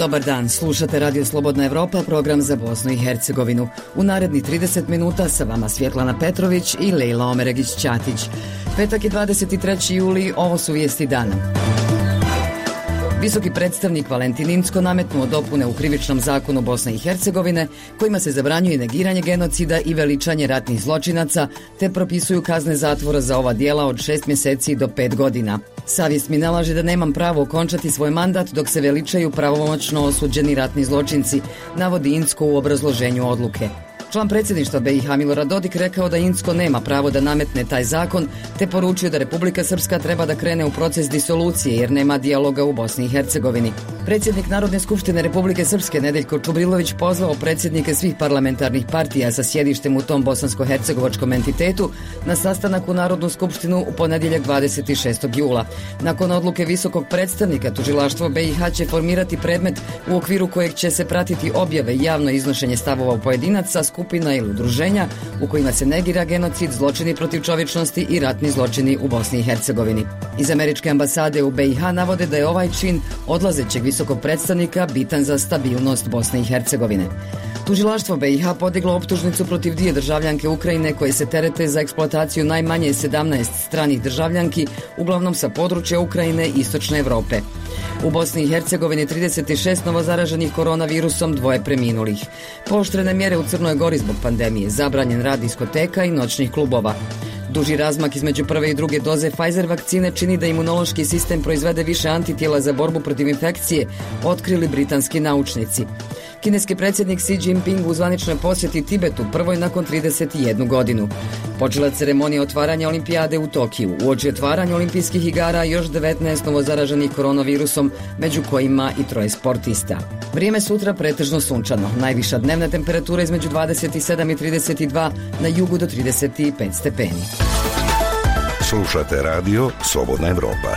Dobar dan, slušate Radio Slobodna Evropa, program za Bosnu i Hercegovinu. U narednih 30 minuta sa vama Svjetlana Petrović i Lejla Omeregić-Ćatić. Petak je 23. juli, ovo su vijesti dana. Visoki predstavnik Valentin Incko nametnuo dopune u krivičnom zakonu Bosne i Hercegovine kojima se zabranjuje negiranje genocida i veličanje ratnih zločinaca te propisuju kazne zatvora za ova djela od 6 mjeseci do 5 godina. Savjest mi nalaže da nemam pravo okončati svoj mandat dok se veličaju pravomoćno osuđeni ratni zločinci, navodi Incko u obrazloženju odluke. Član predsjedništva BiH Milorad Dodik rekao da Incko nema pravo da nametne taj zakon, te poručio da Republika Srpska treba da krene u proces disolucije jer nema dijaloga u Bosni i Hercegovini. Predsjednik Narodne skupštine Republike Srpske Nedeljko Čubrilović pozvao predsjednike svih parlamentarnih partija sa sjedištem u tom bosansko-hercegovačkom entitetu na sastanak u Narodnu skupštinu u ponedjeljak 26. jula. Nakon odluke visokog predstavnika, tužilaštvo BiH će formirati predmet u okviru kojeg će se pratiti objave i javno iznošenje stavova pojedinaca, skupina ili udruženja u kojima se negira genocid, zločini protiv čovječnosti i ratni zločini u Bosni i Hercegovini. Iz američke ambasade u BiH navode da je ovaj čin odlazećeg visokog predstavnika bitan za stabilnost Bosne i Hercegovine. Tužilaštvo BiH podiglo optužnicu protiv dvije državljanke Ukrajine koje se terete za eksploataciju najmanje 17 stranih državljanki, uglavnom sa područja Ukrajine i istočne Europe. U Bosni i Hercegovini 36 novozaraženih koronavirusom, 2 preminulih. Pooštrene mjere u Crnoj Gori zbog pandemije, zabranjen rad diskoteka i noćnih klubova. Duži razmak između prve i druge doze Pfizer vakcine čini da imunološki sistem proizvede više antitijela za borbu protiv infekcije, otkrili britanski naučnici. Kineski predsjednik Xi Jinping u zvaničnoj posjeti Tibetu, prvoj nakon 31 godinu. Počela ceremonija otvaranja olimpijade u Tokiju. Uoči otvaranja olimpijskih igara još 19 novozaraženih koronavirusom, među kojima i 3 sportista. Vrijeme sutra pretežno sunčano. Najviša dnevna temperatura između 27 i 32, na jugu do 35 stepeni. Slušate radio Slobodna Evropa.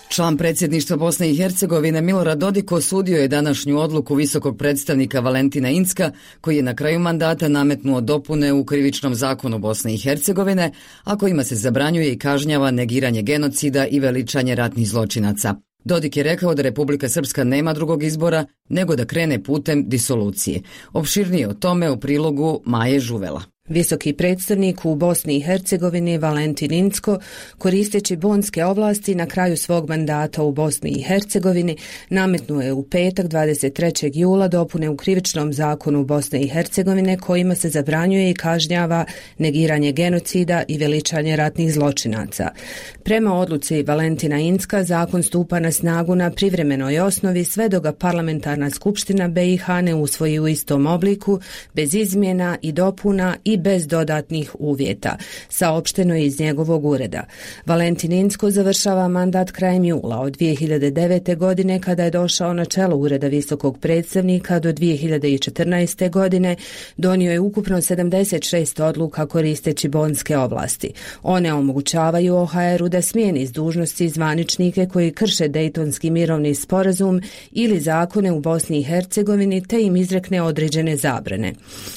Član predsjedništva Bosne i Hercegovine Milorad Dodik osudio je današnju odluku visokog predstavnika Valentina Incka, koji je na kraju mandata nametnuo dopune u krivičnom zakonu Bosne i Hercegovine, a kojima se zabranjuje i kažnjava negiranje genocida i veličanje ratnih zločinaca. Dodik je rekao da Republika Srpska nema drugog izbora nego da krene putem disolucije. Opširnije o tome u prilogu Maje Žuvela. Visoki predstavnik u Bosni i Hercegovini Valentin Incko, koristeći bonske ovlasti na kraju svog mandata u Bosni i Hercegovini, nametnuo je u petak 23. jula dopune u krivičnom zakonu Bosne i Hercegovine kojima se zabranjuje i kažnjava negiranje genocida i veličanje ratnih zločinaca. Prema odluci Valentina Incka, zakon stupa na snagu na privremenoj osnovi sve dok ga parlamentarna skupština BiH ne usvoji u istom obliku, bez izmjena i dopuna i bez dodatnih uvjeta, saopšteno je iz njegovog ureda. Valentin Incko završava mandat krajem jula od 2009. godine kada je došao na čelo ureda visokog predstavnika do 2014. godine, donio je ukupno 76 odluka koristeći bonske ovlasti. One omogućavaju OHR-u da smijeni s dužnosti zvaničnike koji krše Dejtonski mirovni sporazum ili zakone u Bosni i Hercegovini te im izrekne određene zabrane.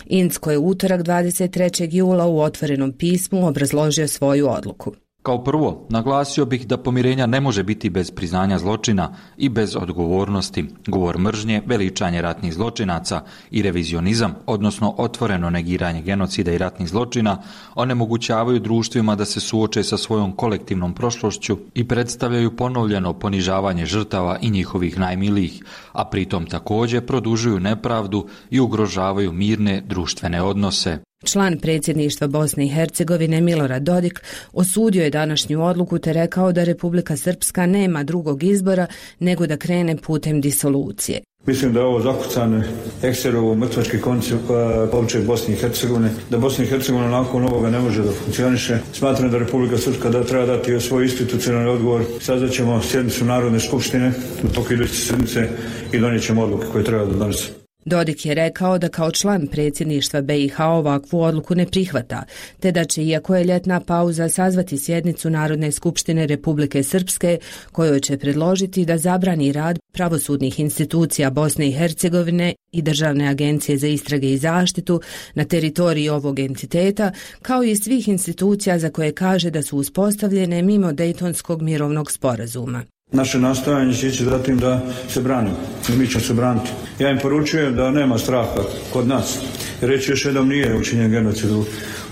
Incko je utorak 23. jula u otvorenom pismu obrazložio svoju odluku. Kao prvo, naglasio bih da pomirenja ne može biti bez priznanja zločina i bez odgovornosti. Govor mržnje, veličanje ratnih zločinaca i revizionizam, odnosno otvoreno negiranje genocida i ratnih zločina, onemogućavaju društvima da se suoče sa svojom kolektivnom prošlošću i predstavljaju ponovljeno ponižavanje žrtava i njihovih najmilijih, a pritom također produžuju nepravdu i ugrožavaju mirne društvene odnose. Član predsjedništva Bosne i Hercegovine Milorad Dodik osudio je današnju odluku te rekao da Republika Srpska nema drugog izbora nego da krene putem disolucije. Mislim da je ovo zakucane ekserovo mrtvački koncept opće Bosne i Hercegovine, da Bosna i Hercegovina nakon ovoga ne može da funkcioniše. Smatram da Republika Srpska da treba dati svoj institucionalni odgovor. Sazvaćemo sjednicu Narodne skupštine u toku iduće sjednice i donijet ćemo odluke koje treba da donese. Dodik je rekao da kao član predsjedništva BiH ovakvu odluku ne prihvata, te da će, iako je ljetna pauza, sazvati sjednicu Narodne skupštine Republike Srpske, kojoj će predložiti da zabrani rad pravosudnih institucija Bosne i Hercegovine i Državne agencije za istrage i zaštitu na teritoriji ovog entiteta, kao i svih institucija za koje kaže da su uspostavljene mimo Dejtonskog mirovnog sporazuma. Naše nastojanje će ići zatim da se branimo i mi ćemo se braniti. Ja im poručujem da nema straha kod nas. Reći još jednom, nije učinjen genocid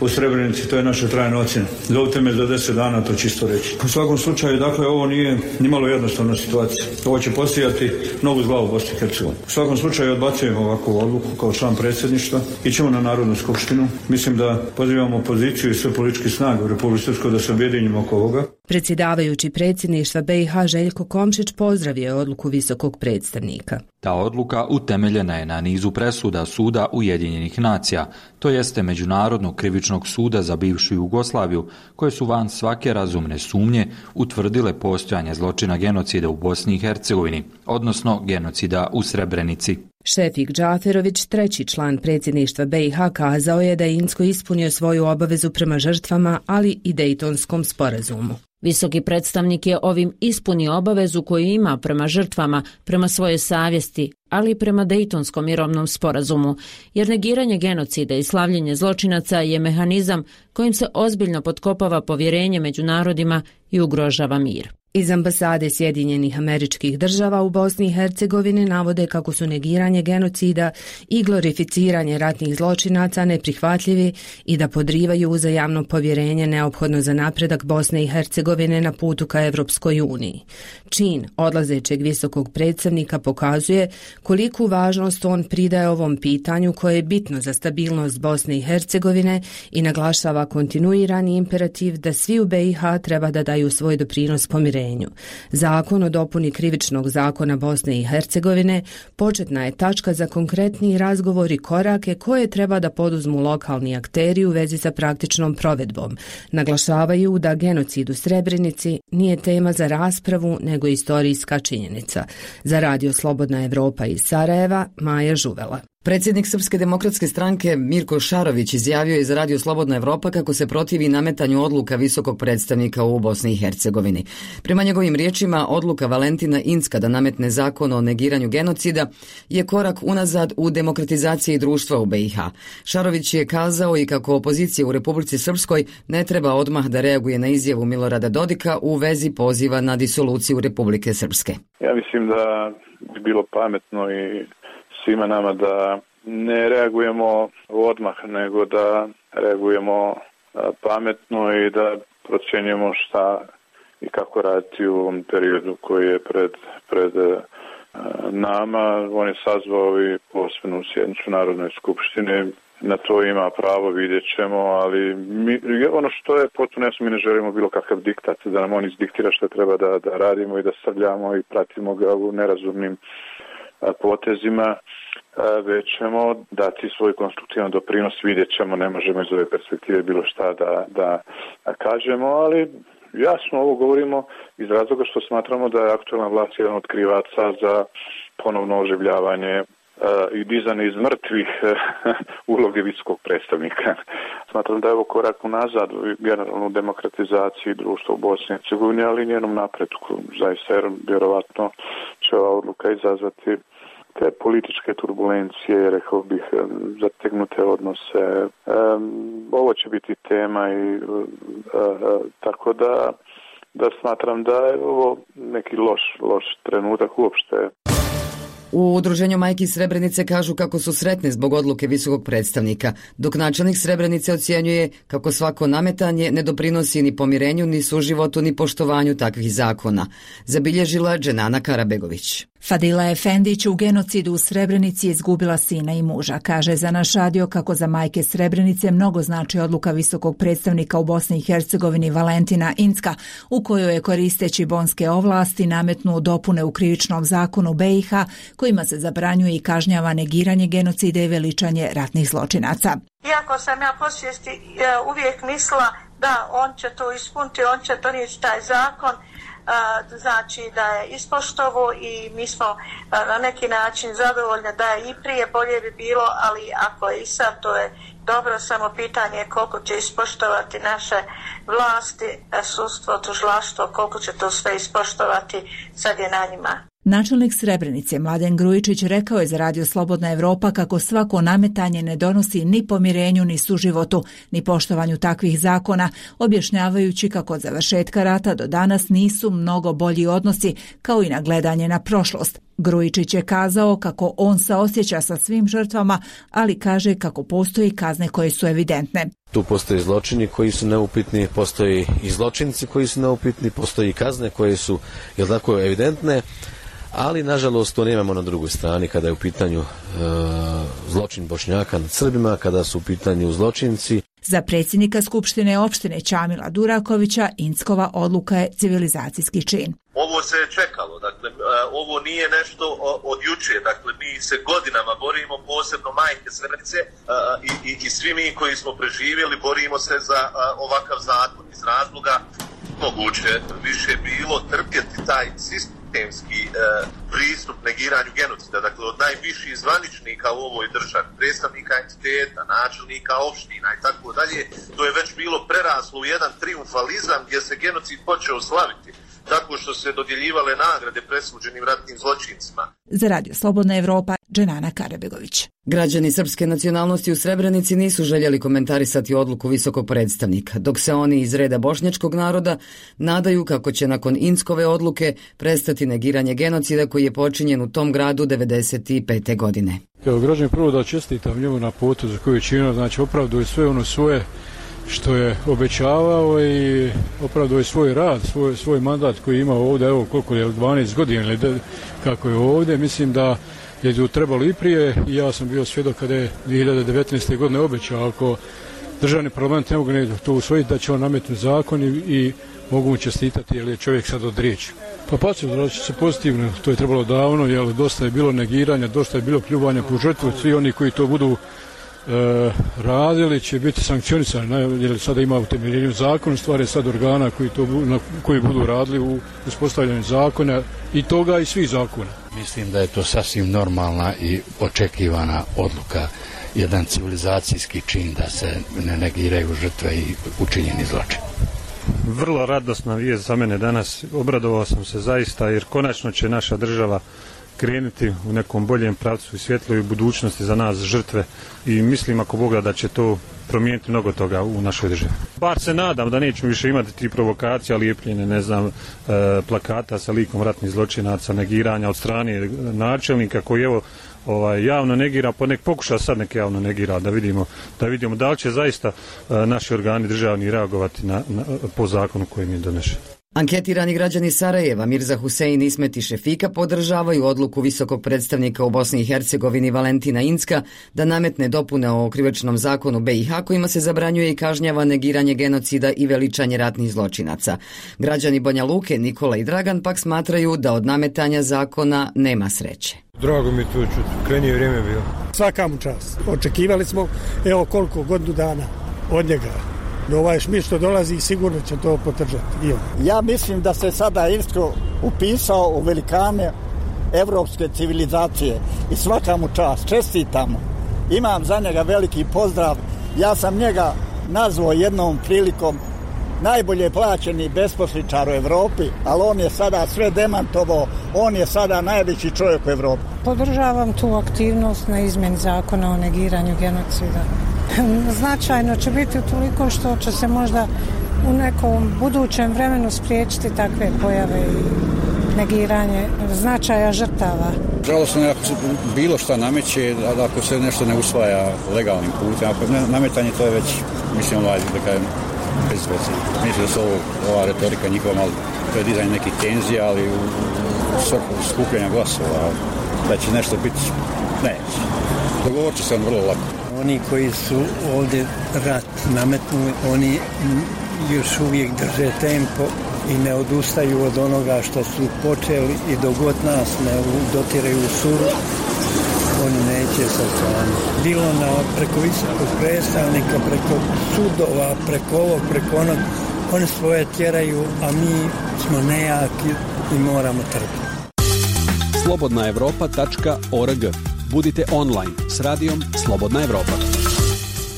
u Srebrenici, to je naša trajna ocjena. Zovite me za 10 dana, to čisto reći. U svakom slučaju, dakle, ovo nije nimalo jednostavna situacija. Ovo će posijati novu zla u Bosni i Hercegovini. U svakom slučaju odbacujemo ovakvu odluku kao član predsjedništva. Ićemo na Narodnu skupštinu. Mislim da pozivamo opoziciju i sve političke snage u Republici Srpskoj da se objedinimo oko ovoga. Predsjedavajući predsjedništva BiH Željko Komšić pozdravio je odluku visokog predstavnika. Ta odluka utemeljena je na nizu presuda Suda Ujedinjenih nacija, to jeste Međunarodnog krivičnog suda za bivšu Jugoslaviju, koje su van svake razumne sumnje utvrdile postojanje zločina genocida u Bosni i Hercegovini, odnosno genocida u Srebrenici. Šefik Džaferović, treći član predsjedništva BiH, kazao je da je Incko ispunio svoju obavezu prema žrtvama, ali i Dejtonskom sporazumu. Visoki predstavnik je ovim ispunio obavezu koju ima prema žrtvama, prema svojoj savjesti, ali i prema Dejtonskom mirovnom sporazumu, jer negiranje genocida i slavljenje zločinaca je mehanizam kojim se ozbiljno potkopava povjerenje među narodima i ugrožava mir. Iz ambasade Sjedinjenih Američkih Država u Bosni i Hercegovini navode kako su negiranje genocida i glorificiranje ratnih zločinaca neprihvatljivi i da podrivaju uzajamno povjerenje neophodno za napredak Bosne i Hercegovine na putu ka Evropskoj uniji. Čin odlazećeg visokog predstavnika pokazuje koliku važnost on pridaje ovom pitanju koje je bitno za stabilnost Bosne i Hercegovine i naglašava kontinuirani imperativ da svi u BiH treba da daju svoj doprinos pomirenju. Zakon o dopuni krivičnog zakona Bosne i Hercegovine početna je tačka za konkretni razgovor i korake koje treba da poduzmu lokalni akteri u vezi sa praktičnom provedbom. Naglašavaju da genocid u Srebrenici nije tema za raspravu, nego istorijska činjenica. Za Radio Slobodna Evropa iz Sarajeva, Maja Žuvela. Predsjednik Srpske demokratske stranke Mirko Šarović izjavio je za Radio Slobodna Evropa kako se protivi nametanju odluka visokog predstavnika u Bosni i Hercegovini. Prema njegovim riječima, odluka Valentina Incka da nametne zakon o negiranju genocida je korak unazad u demokratizaciji društva u BiH. Šarović je kazao i kako opozicija u Republici Srpskoj ne treba odmah da reaguje na izjavu Milorada Dodika u vezi poziva na disoluciju Republike Srpske. Ja mislim da bi bilo pametno i svima nama da ne reagujemo odmah, nego da reagujemo pametno i da procjenjujemo šta i kako raditi u ovom periodu koji je pred nama. On je sazvao i posebnu sjednicu Narodne skupštine. Na to ima pravo, vidjet ćemo, ali ono što je potpuno jasno, mi ne želimo bilo kakav diktat, da nam on izdiktira što treba da radimo i da srljamo i pratimo ga u nerazumnim potezima, već ćemo dati svoj konstruktivan doprinos, vidjet ćemo, ne možemo iz ove perspektive bilo šta da kažemo, ali jasno ovo govorimo iz razloga što smatramo da je aktualna vlast jedan od krivaca za ponovno oživljavanje i dizanje iz mrtvih uloge visokog predstavnika. Smatram da je ovo korak unazad u generalnu demokratizaciji društva u Bosni i Hercegovini, ali i njenom napretku. Zaista, jer vjerovatno će ova odluka izazvati te političke turbulencije, rekao bih, zategnute odnose. Ovo će biti tema i tako da smatram da je ovo neki loš trenutak uopšte. U Udruženju majki Srebrenice kažu kako su sretne zbog odluke visokog predstavnika, dok načelnik Srebrenice ocjenjuje kako svako nametanje ne doprinosi ni pomirenju, ni suživotu, ni poštovanju takvih zakona. Zabilježila Dženana Karabegović. Fadila Efendić u genocidu u Srebrenici je izgubila sina i muža. Kaže za naš radio kako za majke Srebrenice mnogo znači odluka visokog predstavnika u Bosni i Hercegovini Valentina Incka, u kojoj je koristeći bonske ovlasti nametnuo dopune u krivičnom zakonu BiH kojima se zabranjuje i kažnjava negiranje genocida i veličanje ratnih zločinaca. Iako sam ja po svijesti uvijek mislila da on će to ispuniti, on će donijeti taj zakon, znači da je ispoštovo i mi smo na neki način zadovoljni da je i prije bolje bi bilo, ali ako je i sad to je dobro, samo pitanje koliko će ispoštovati naše vlasti, sudstvo, tužilaštvo, koliko će to sve ispoštovati, sad je na njima. Načelnik Srebrenice Mladen Grujičić rekao je za Radio Slobodna Evropa kako svako nametanje ne donosi ni pomirenju, ni suživotu, ni poštovanju takvih zakona, objašnjavajući kako od završetka rata do danas nisu mnogo bolji odnosi, kao i nagledanje na prošlost. Grujičić je kazao kako on saosjeća sa svim žrtvama, ali kaže kako postoji kazne koje su evidentne. Tu postoji zločini koji su neupitni, postoji i zločinci koji su neupitni, postoji i kazne koje su, jel tako, evidentne, ali nažalost to nemamo na drugoj strani kada je u pitanju zločin Bošnjaka nad Srbima, kada su u pitanju zločinci. Za predsjednika Skupštine opštine Čamila Durakovića Inckova odluka je civilizacijski čin. Ovo se je čekalo, dakle, ovo nije nešto od juče, dakle, mi se godinama borimo, posebno majke Srebrenice i svi mi koji smo preživjeli borimo se za ovakav zakon iz razloga moguće više bilo trpjeti taj sistemski pristup negiranju genocida, dakle od najviših zvaničnika u ovoj državi, predstavnika entiteta, načelnika opština i tako dalje, to je već bilo preraslo u jedan triumfalizam gdje se genocid počeo slaviti tako što se dodjeljivale nagrade presuđenim ratnim zločincima. Za Radio Slobodna Evropa, Dženana Karabegović. Građani srpske nacionalnosti u Srebrenici nisu željeli komentarisati odluku visokog predstavnika, dok se oni iz reda bošnjačkog naroda nadaju kako će nakon Inckove odluke prestati negiranje genocida koji je počinjen u tom gradu 1995. godine. Kao građani, prvo da čestitam njemu na putu za koju je činio, znači opravduje sve ono svoje što je obećavao i opravduje svoj rad, svoj mandat koji je imao ovdje, evo koliko je, 12 godina ili kako je ovdje. Mislim da je tu trebalo i prije i ja sam bio svjedok kada je 2019. godine obećao ako državni parlament ne mogu to usvojiti da će on nametnuti zakon i mogu mu čestitati jer je čovjek sad od riječi. Pa odrazit će se pozitivno, to je trebalo davno, jer dosta je bilo negiranja, dosta je bilo pljuvanja po žrtvu, svi oni koji to budu radili će biti sankcionisani, jer sada ima utemeljenju zakona, stvari sad organa koji budu radili u uspostavljanju zakona i toga i svih zakona. Mislim da je to sasvim normalna i očekivana odluka, jedan civilizacijski čin da se ne negiraju žrtve i učinjeni zločin. Vrlo radosna vijest za mene danas, obradovao sam se zaista jer konačno će naša država krenuti u nekom boljem pravcu i svjetloj budućnosti za nas žrtve i mislim ako Boga da će to promijeniti mnogo toga u našoj državi. Bar se nadam da nećemo više imati ti provokacija, lijepljene, plakata sa likom ratnih zločinaca, negiranja od strane načelnika koji evo javno negira, pa nek pokuša sad nek javno negira da vidimo da li će zaista naši organi državni reagovati po zakonu koji mi je donešen. Anketirani građani Sarajeva Mirza Husein Ismet i Šefika podržavaju odluku visokog predstavnika u Bosni i Hercegovini Valentina Incka da nametne dopune o krivičnom zakonu BiH kojima se zabranjuje i kažnjava negiranje genocida i veličanje ratnih zločinaca. Građani Banja Luke Nikola i Dragan pak smatraju da od nametanja zakona nema sreće. Drago mi to čuti, krajnje vrijeme bilo. Svaka mu čast. Očekivali smo evo koliko godinu dana od njega. Ovaj Šmit što dolazi sigurno će to podržati. Ja mislim da se sada Irsko upisao u velikane evropske civilizacije i svaka mu čast, čestitamo. Imam za njega veliki pozdrav. Ja sam njega nazvao jednom prilikom najbolje plaćeni besposličar u Evropi, ali on je sada sve demantovao, on je sada najveći čovjek u Evropi. Podržavam tu aktivnost na izmjeni zakona o negiranju genocida. Značajno će biti utoliko što će se možda u nekom budućem vremenu spriječiti takve pojave i negiranje značaja žrtava. Žalosno je ako se bilo šta nameće, a ako se nešto ne usvaja legalnim putem, ako nametanje to je već, mislim, da kažem, bezveze. Mislim da su ova retorika njihova malo predizanje nekih tenzija, ali u svrhu skupljanja glasova, da će nešto biti, neće. Dogovorit će se vrlo lako. Oni koji su ovdje rat nametnuli, oni još uvijek drže tempo i ne odustaju od onoga što su počeli i dok god nas ne dotiraju u suru, oni neće se otklanjati. Bilo preko visokog predstavnika, preko sudova, preko ovog, preko onog, oni svoje tjeraju, a mi smo nejaki i moramo trpiti. Slobodnaevropa.org. Budite online s radijom Slobodna Evropa.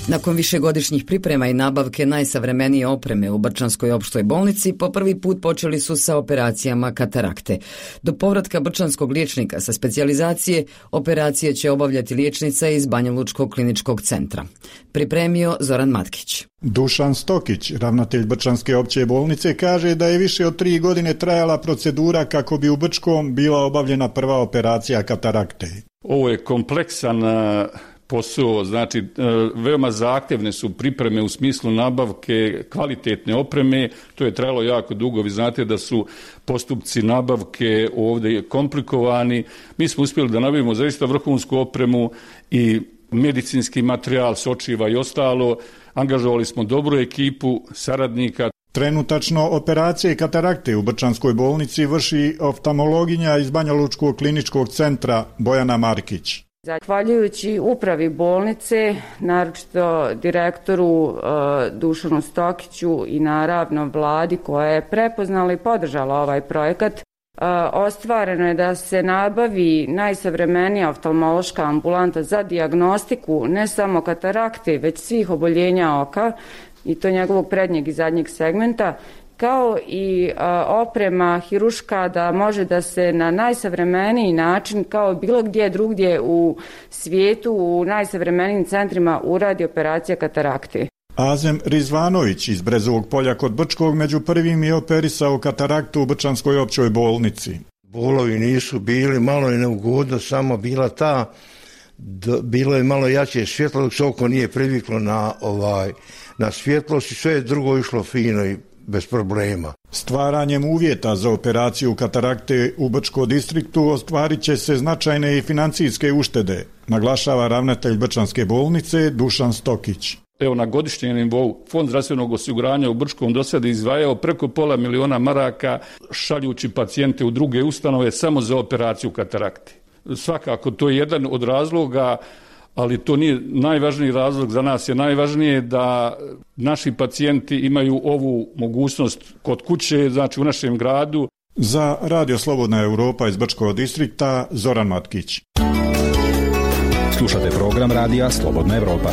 Nakon višegodišnjih priprema i nabavke najsavremenije opreme u Brčanskoj opštoj bolnici, po prvi put počeli su sa operacijama katarakte. Do povratka brčanskog liječnika sa specijalizacije, operacije će obavljati liječnica iz Banjalučkog kliničkog centra. Pripremio Zoran Matkić. Dušan Stokić, ravnatelj Brčanske opće bolnice, kaže da je više od 3 godine trajala procedura kako bi u Brčkom bila obavljena prva operacija katarakte. Ovo je kompleksan posao, znači veoma zahtjevne su pripreme u smislu nabavke kvalitetne opreme, to je trajalo jako dugo, vi znate da su postupci nabavke ovdje komplikovani. Mi smo uspjeli da nabavimo zaista vrhunsku opremu i medicinski materijal, sočiva i ostalo, angažovali smo dobru ekipu saradnika. Trenutačno operacije katarakte u Brčanskoj bolnici vrši oftalmologinja iz Banjalučkog kliničkog centra Bojana Markić. Zahvaljujući upravi bolnice, naročito direktoru Dušanu Stokiću i naravno vladi koja je prepoznala i podržala ovaj projekat, ostvareno je da se nabavi najsavremenija oftalmološka ambulanta za dijagnostiku ne samo katarakte, već svih oboljenja oka, i to njegovog prednjeg i zadnjeg segmenta, kao i oprema hiruška da može da se na najsavremeniji način, kao bilo gdje drugdje u svijetu, u najsavremenijim centrima uradi operacija katarakte. Azem Rizvanović iz Brezovog polja kod Brčkog među prvim je operisao kataraktu u Brčanskoj općoj bolnici. Bolovi nisu bili, malo je neugodno, samo bila bilo je malo jače svjetlo dok se oko nije priviklo na svjetlost i sve je drugo išlo fino i bez problema. Stvaranjem uvjeta za operaciju katarakte u Brčkom distriktu ostvarit će se značajne i financijske uštede, naglašava ravnatelj Brčanske bolnice Dušan Stokić. Evo, na godišnjem nivou Fond zdravstvenog osiguranja u Brčkom do sada izdvajao preko $500.000 maraka šaljući pacijente u druge ustanove samo za operaciju katarakte. Svakako to je jedan od razloga, ali to nije najvažniji razlog. Za nas je najvažnije da naši pacijenti imaju ovu mogućnost kod kuće, znači u našem gradu. Za Radio Slobodna Europa iz Brčkog distrikta, Zoran Matkić. Slušate program Radija Slobodna Europa.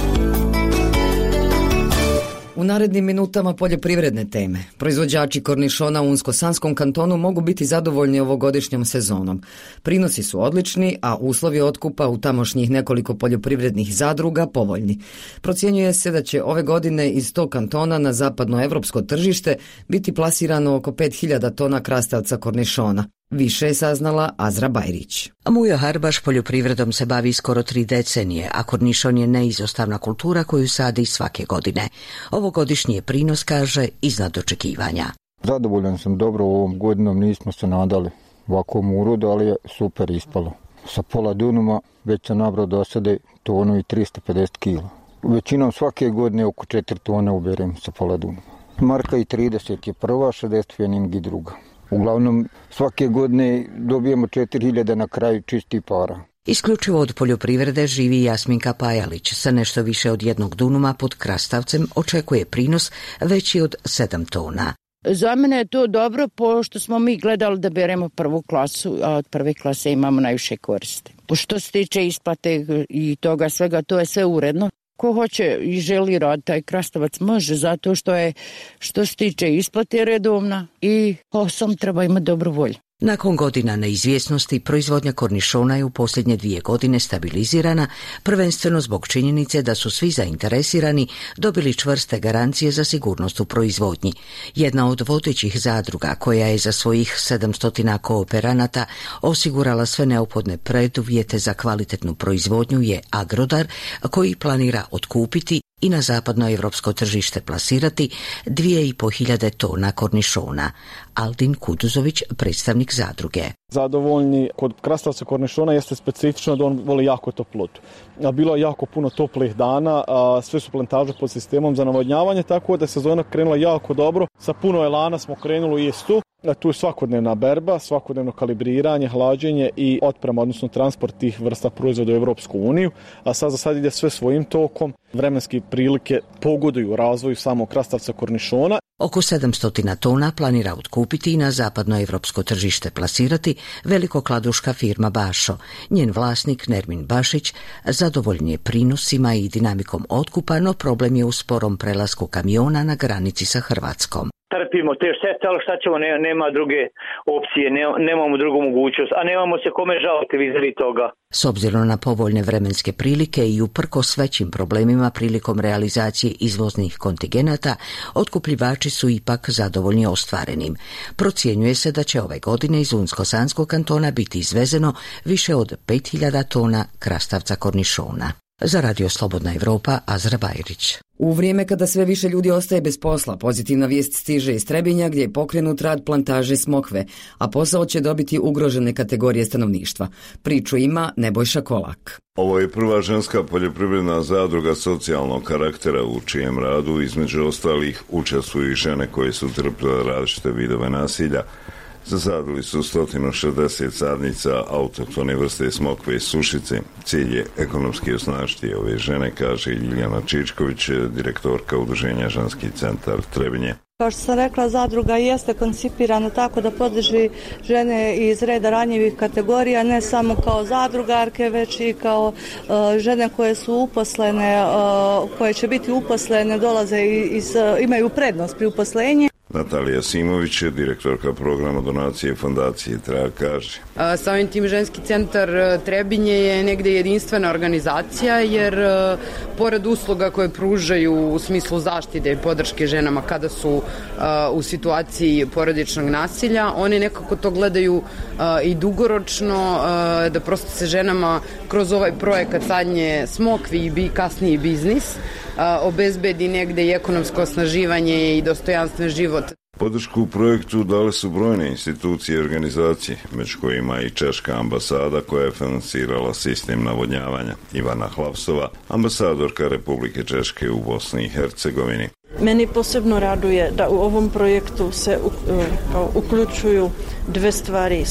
U narednim minutama poljoprivredne teme. Proizvođači kornišona u Unsko-Sanskom kantonu mogu biti zadovoljni ovogodišnjom sezonom. Prinosi su odlični, a uslovi otkupa u tamošnjih nekoliko poljoprivrednih zadruga povoljni. Procjenjuje se da će ove godine iz tog kantona na zapadnoevropsko tržište biti plasirano oko 5.000 tona krastavca kornišona. Više je saznala Azra Bajrić. Mujo Harbaš poljoprivredom se bavi skoro 3 decenije, a kornišon je neizostavna kultura koju sadi svake godine. Ovogodišnji je prinos, kaže, iznad očekivanja. Zadovoljan sam dobro ovom godinom, nismo se nadali ovakvom urodu, ali je super ispalo. Sa pola dunuma već sam nabrao do sada tonu i 350 kila. Većinom svake godine oko 4 tone uberem sa pola dunuma. Marka i 30 je prva, 60 fening i druga. Uglavnom, svake godine dobijemo 4.000 na kraju čistih para. Isključivo od poljoprivrede živi Jasminka Pajalić. Sa nešto više od 1 dunuma pod krastavcem očekuje prinos veći od 7 tona. Za mene je to dobro, pošto smo mi gledali da beremo prvu klasu, a od prve klase imamo najviše koriste. Što se tiče isplate i toga svega, to je sve uredno. Ko hoće i želi raditi taj krastavac može, zato što se tiče isplate redovna i sam treba imati dobru volju. Nakon godina neizvjesnosti, proizvodnja kornišona je u posljednje 2 godine stabilizirana, prvenstveno zbog činjenice da su svi zainteresirani dobili čvrste garancije za sigurnost u proizvodnji. Jedna od vodećih zadruga, koja je za svojih 700 kooperanata osigurala sve neophodne preduvjete za kvalitetnu proizvodnju, je Agrodar, koji planira otkupiti i na zapadnoevropsko tržište plasirati 2.500 tona kornišona. Aldin Kuduzović, predstavnik zadruge. Zadovoljni kod krastavca kornišona jeste specifično da on voli jako toplotu. Bilo je jako puno toplih dana, sve su plantaže pod sistemom za navodnjavanje, tako da je sezona krenula jako dobro. Sa puno elana smo krenuli u jestu. Tu je svakodnevna berba, svakodnevno kalibriranje, hlađenje i otprema, odnosno transport tih vrsta proizvoda u Europsku uniju, a sad za sad ide sve svojim tokom. Vremenske prilike pogoduju razvoju samog krastavca kornišona. Oko 700 tona planira otkupiti i na zapadnoevropsko tržište plasirati velikokladuška firma Bašo. Njen vlasnik Nermin Bašić zadovoljan je prinosima i dinamikom otkupa, no problem je u sporom prelasku kamiona na granici sa Hrvatskom. Trpimo te štete, ali šta ćemo, nema druge opcije, nemamo drugu mogućnost, a nemamo se kome žaliti vizavi toga. S obzirom na povoljne vremenske prilike i uprkos većim problemima prilikom realizacije izvoznih kontingenata, otkupljivači su ipak zadovoljni ostvarenim. Procjenjuje se da će ove godine iz Unsko-Sanskog kantona biti izvezeno više od 5000 tona krastavca kornišona. Za Radio Slobodna Evropa, Azra Bajrić. U vrijeme kada sve više ljudi ostaje bez posla, pozitivna vijest stiže iz Trebinja gdje je pokrenut rad plantaže smokve, a posao će dobiti ugrožene kategorije stanovništva. Priču ima Nebojša Kolak. Ovo je prva ženska poljoprivredna zadruga socijalnog karaktera u čijem radu između ostalih učestvuju i žene koje su trpile različite vidove nasilja. Zasadili su 160 sadnica autohtone vrste smokve i sušice. Cilj je ekonomski osnažiti ove žene, kaže Ljiljana Čičković, direktorka udruženja Ženski centar Trebinje. Kao što sam rekla, zadruga jeste koncipirana tako da podrži žene iz reda ranjivih kategorija, ne samo kao zadrugarke, već i kao žene koje su uposlene, koje će biti uposlene, dolaze imaju prednost pri uposlenju. Natalija Simović, direktorka programa donacije fondacije Trag, kaže. Samim tim Ženski centar Trebinje je negde jedinstvena organizacija, jer pored usluga koje pružaju u smislu zaštite i podrške ženama kada su u situaciji porodičnog nasilja, oni nekako to gledaju i dugoročno, da prosto se ženama kroz ovaj projekat sadnje smokvi i kasniji biznis obezbedi negde i ekonomsko osnaživanje i dostojanstven život. Podršku u projektu dale su brojne institucije i organizacije, među kojima i Češka ambasada koja je financirala sistem navodnjavanja. Ivana Hlavsova, ambasadorka Republike Češke u Bosni i Hercegovini. Meni posebno raduje da u ovom projektu se uključuju dve stvari,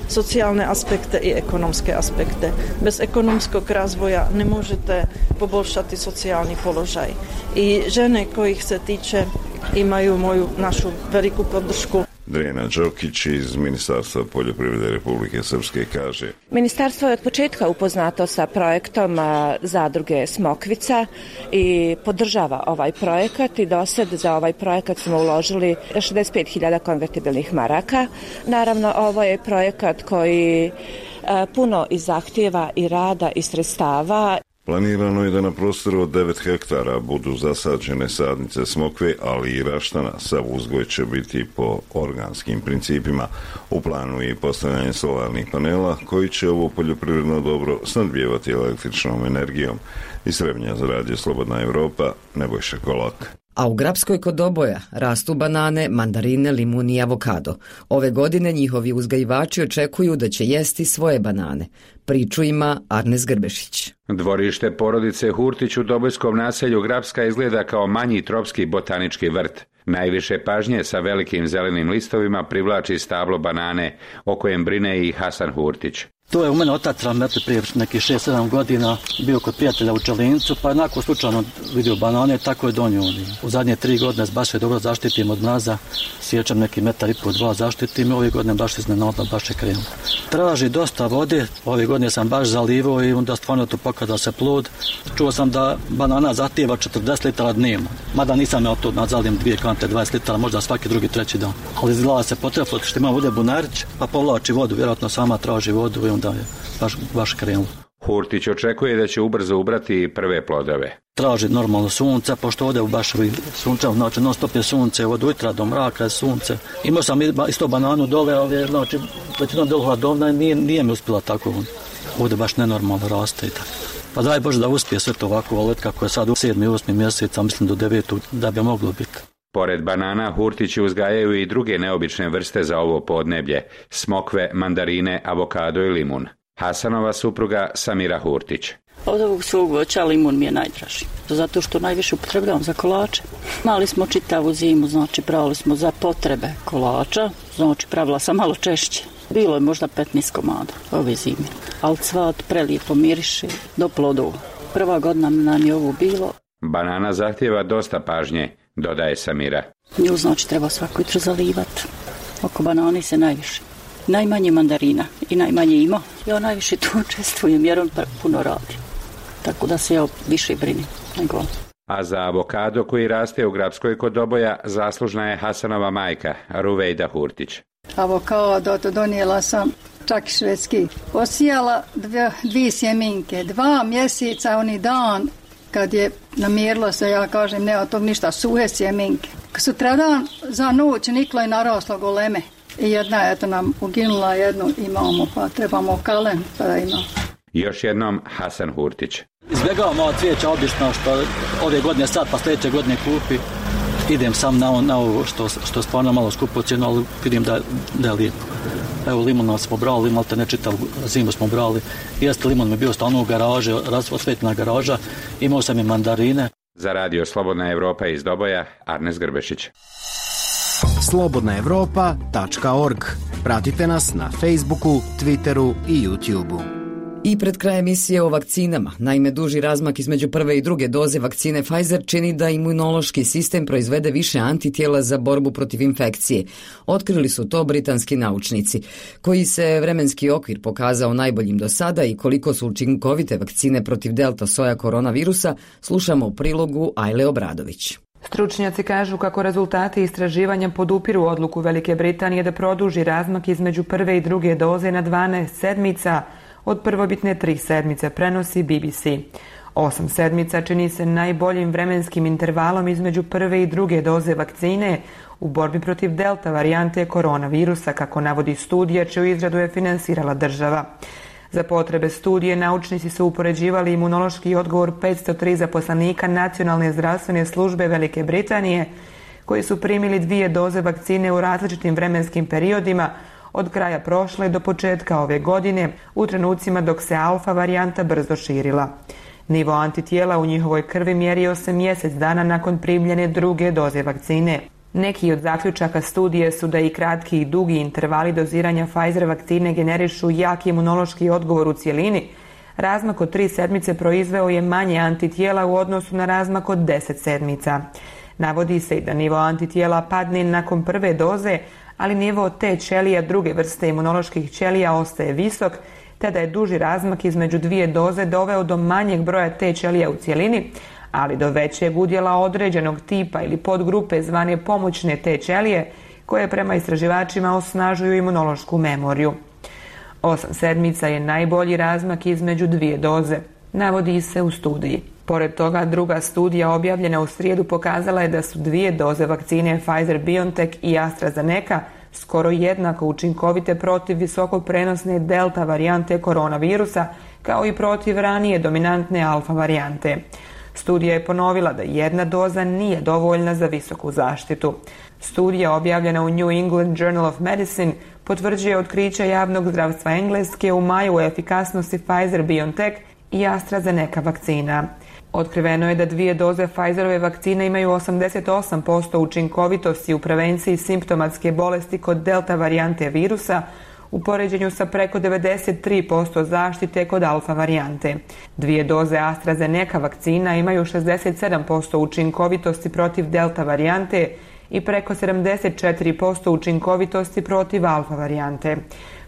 socijalne aspekte i ekonomske aspekte. Bez ekonomskog razvoja ne možete poboljšati socijalni položaj. I žene kojih se tiče imaju našu veliku podršku. Drena Đokić iz Ministarstva poljoprivrede Republike Srpske kaže. Ministarstvo je od početka upoznato sa projektom zadruge Smokvica i podržava ovaj projekat i dosad za ovaj projekat smo uložili 65.000 konvertibilnih maraka. Naravno, ovo je projekat koji puno i zahtjeva i rada i sredstava. Planirano je da na prostoru od 9 hektara budu zasađene sadnice smokve, ali i raštana. Sav uzgoj će biti po organskim principima. U planu je i postavljanje solarnih panela koji će ovo poljoprivredno dobro snadbijevati električnom energijom. Iz Trebinja za Radio Slobodna Evropa, Nebojša Kolak. A u Grapskoj kod Doboja rastu banane, mandarine, limun i avokado. Ove godine njihovi uzgajivači očekuju da će jesti svoje banane. Priču ima Arnes Grbešić. Dvorište porodice Hurtić u Dobojskom naselju Grapska izgleda kao manji tropski botanički vrt. Najviše pažnje sa velikim zelenim listovima privlači stablo banane, o kojem brine i Hasan Hurtić. To je u mene otac rametli prije nekih 6-7 godina, bio kod prijatelja u Čelincu, pa onako slučajno vidio banane, tako je donio. U zadnje 3 godine baš je dobro zaštitim od mraza, sjećam neki 1,5 2 zaštitim i ove godine baš iznenadno, baš je krenuo. Traži dosta vode, ove godine sam baš zalivao i onda stvarno tu pokazao se plod. Čuo sam da banana zahtijeva 40 litara dnevno, mada nisam ja to nadzalim 2 kante 20 litara, možda svaki drugi, treći dan. Ali izgleda se potrefilo što ima vode bunarić, pa povlači vodu, vjerojatno sama traži vodu i onda je baš krenulo. Hurtić očekuje da će ubrzo ubrati prve plodove. Traži normalno sunce, pošto ovdje u Bašovi sunce, znači non stop je sunce, od ujutra do mraka je sunce. Imao sam isto bananu dole, znači većinom dole hladovna i nije mi uspjela tako. Ovdje baš nenormalno raste i tako. Pa daj Bože da uspije sve to ovako, ali kako je sad u 7. i 8. mjesec, mislim do 9. da bi moglo biti. Pored banana, Hurtići uzgajaju i druge neobične vrste za ovo podneblje, smokve, mandarine, avokado i limun. Hasanova supruga Samira Hurtić. Od ovog svog voća limun mi je najdraži, zato što najviše upotrebljavam za kolače. Mali smo čitavu zimu, znači pravili smo za potrebe kolača, znači pravila sam malo češće. Bilo je možda 15 komada ove zime, ali cvat prelijepo miriše do plodova. Prva godina nam je ovo bilo. Banana zahtjeva dosta pažnje, dodaje Samira. Nju znači treba svako jutro zalivati. Oko banane se najviše. Najmanje mandarina i najmanje ima. Ja najviše tu učestvujem jer on puno radi. Tako da se ja više brinim nego on. A za avokado koji raste u Grabskoj kod Doboja zaslužna je Hasanova majka, Ruvejda Hurtić. Avokado to donijela sam čak švedski. Posijala dvije sjeminke, 2 mjeseca, oni dan kad je namjerilo se, ja kažem, nema tog ništa, suhe sjeminke. Sutradan za noć niklo je naraslo goleme. I jedna je nam uginula, jednu imamo, pa trebamo kalen da imamo. Još jednom Hasan Hurtić. Izbjegavam ova cvijeća obično što ove godine sad pa sljedeće godine kupi. Idem sam na ovo što stvarno malo skupo cijenu, ali vidim da je lijepo. Evo limuna smo brali, malo te ne čitav zimu smo brali. Jeste, limun mi bio stalno u garaži, osvetljena garaža, imao sam i mandarine. Za radio Slobodna Evropa iz Doboja, Arnes Grbešić. slobodnaevropa.org. Pratite nas na Facebooku, Twitteru i YouTubeu. I pred kraj emisije o vakcinama. Naime, duži razmak između prve i druge doze vakcine Pfizer čini da imunološki sistem proizvede više antitijela za borbu protiv infekcije. Otkrili su to britanski naučnici, koji se vremenski okvir pokazao najboljim do sada i koliko su učinkovite vakcine protiv delta soja koronavirusa, slušamo u prilogu Ajle Obradović. Stručnjaci kažu kako rezultati istraživanja podupiru odluku Velike Britanije da produži razmak između prve i druge doze na 12 sedmica, od prvobitne 3 sedmice, prenosi BBC. 8 sedmica čini se najboljim vremenskim intervalom između prve i druge doze vakcine u borbi protiv delta varijante koronavirusa, kako navodi studija čiju izradu je finansirala država. Za potrebe studije naučnici su upoređivali imunološki odgovor 503 zaposlenika Nacionalne zdravstvene službe Velike Britanije koji su primili 2 doze vakcine u različitim vremenskim periodima od kraja prošle do početka ove godine, u trenucima dok se alfa varijanta brzo širila. Nivo antitijela u njihovoj krvi mjerio se mjesec dana nakon primljene druge doze vakcine. Neki od zaključaka studije su da i kratki i dugi intervali doziranja Pfizer vakcine generišu jak imunološki odgovor u cjelini. Razmak od 3 sedmice proizveo je manje antitijela u odnosu na razmak od 10 sedmica. Navodi se i da nivo antitijela padne nakon prve doze, ali nivo T ćelija druge vrste imunoloških ćelija ostaje visok, te da je duži razmak između 2 doze doveo do manjeg broja T ćelija u cjelini, ali do većeg udjela određenog tipa ili podgrupe zvane pomoćne T ćelije, koje prema istraživačima osnažuju imunološku memoriju. 8 sedmica je najbolji razmak između 2 doze, navodi se u studiji. Pored toga, druga studija objavljena u srijedu pokazala je da su 2 doze vakcine Pfizer-BioNTech i AstraZeneca skoro jednako učinkovite protiv visoko prenosne delta varijante koronavirusa, kao i protiv ranije dominantne alfa varijante. Studija je ponovila da 1 doza nije dovoljna za visoku zaštitu. Studija objavljena u New England Journal of Medicine potvrđuje otkriće javnog zdravstva Engleske u maju o efikasnosti Pfizer-BioNTech i AstraZeneca vakcina. Otkriveno je da 2 doze Pfizerove vakcine imaju 88% učinkovitosti u prevenciji simptomatske bolesti kod delta varijante virusa, u poređenju sa preko 93% zaštite kod alfa varijante. 2 doze AstraZeneca vakcina imaju 67% učinkovitosti protiv delta varijante i preko 74% učinkovitosti protiv alfa varijante.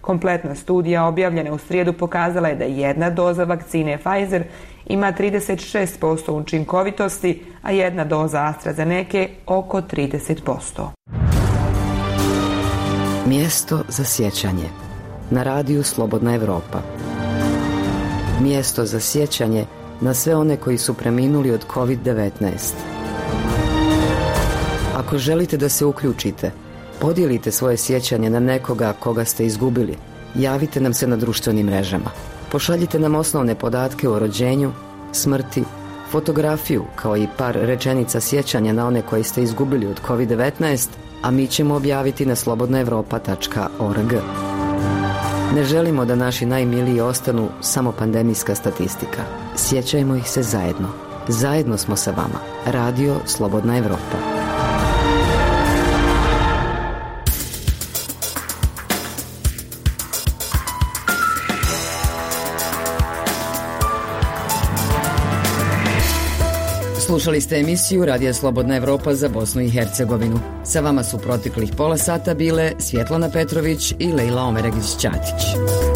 Kompletna studija objavljena u srijedu pokazala je da 1 doza vakcine Pfizer ima 36% učinkovitosti, a 1 doza AstraZeneca oko 30%. Mjesto za sjećanje. Na radiju Slobodna Evropa. Mjesto za sjećanje na sve one koji su preminuli od COVID-19. Ako želite da se uključite, podijelite svoje sjećanje na nekoga koga ste izgubili. Javite nam se na društvenim mrežama. Pošaljite nam osnovne podatke o rođenju, smrti, fotografiju, kao i par rečenica sjećanja na one koje ste izgubili od COVID-19, a mi ćemo objaviti na slobodnaevropa.org. Ne želimo da naši najmiliji ostanu samo pandemijska statistika. Sjećajmo ih se zajedno. Zajedno smo sa vama. Radio Slobodna Evropa. Slušali ste emisiju Radija Slobodna Evropa za Bosnu i Hercegovinu. Sa vama su proteklih pola sata bile Svjetlana Petrović i Lejla Omeregić-Ćatić.